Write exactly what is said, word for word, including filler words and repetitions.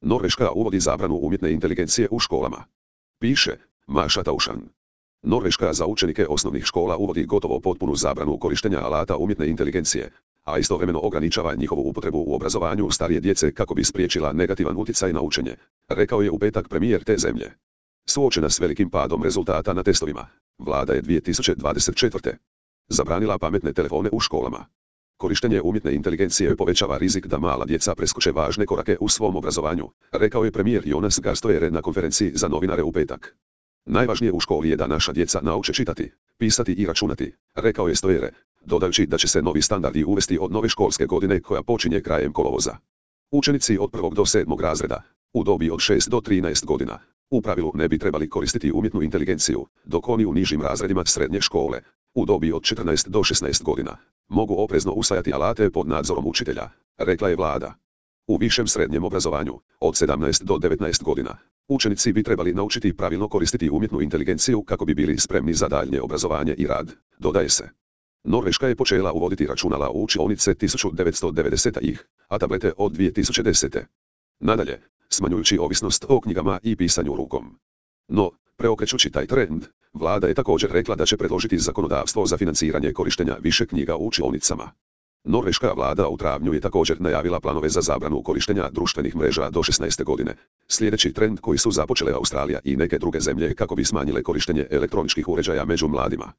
Norveška uvodi zabranu umjetne inteligencije u školama. Piše Maša Taušan. Norveška za učenike osnovnih škola uvodi gotovo potpunu zabranu korištenja alata umjetne inteligencije, a istovremeno ograničava njihovu upotrebu u obrazovanju starije djece kako bi spriječila negativan utjecaj na učenje, rekao je u petak premijer te zemlje. Suočena s velikim padom rezultata na testovima, vlada je dvije tisuće dvadeset četvrte. zabranila pametne telefone u školama. Korištenje umjetne inteligencije povećava rizik da mala djeca preskoče važne korake u svom obrazovanju, rekao je premijer Jonas Gahr Støre na konferenciji za novinare u petak. Najvažnije u školi je da naša djeca nauče čitati, pisati i računati, rekao je Støre, dodajući da će se novi standardi uvesti od nove školske godine koja počinje krajem kolovoza. Učenici od prvog do sedmog razreda, u dobi od šest do trinaest godina, u pravilu ne bi trebali koristiti umjetnu inteligenciju, dok oni u nižim razredima srednje škole, u dobi od četrnaest do šesnaest godina, mogu oprezno usvajati alate pod nadzorom učitelja, rekla je vlada. U višem srednjem obrazovanju, od sedamnaest do devetnaest godina, učenici bi trebali naučiti pravilno koristiti umjetnu inteligenciju kako bi bili spremni za daljnje obrazovanje i rad, dodaje se. Norveška je počela uvoditi računala u učionice tisuću devetsto devedesetih, a tablete od dvije tisuće desete. Nadalje, smanjujući ovisnost o knjigama i pisanju rukom. No, preokrećući taj trend, vlada je također rekla da će predložiti zakonodavstvo za financiranje korištenja više knjiga u učionicama. Norveška vlada u travnju je također najavila planove za zabranu korištenja društvenih mreža do šesnaeste godine, sljedeći trend koji su započele Australija i neke druge zemlje kako bi smanjile korištenje elektroničkih uređaja među mladima.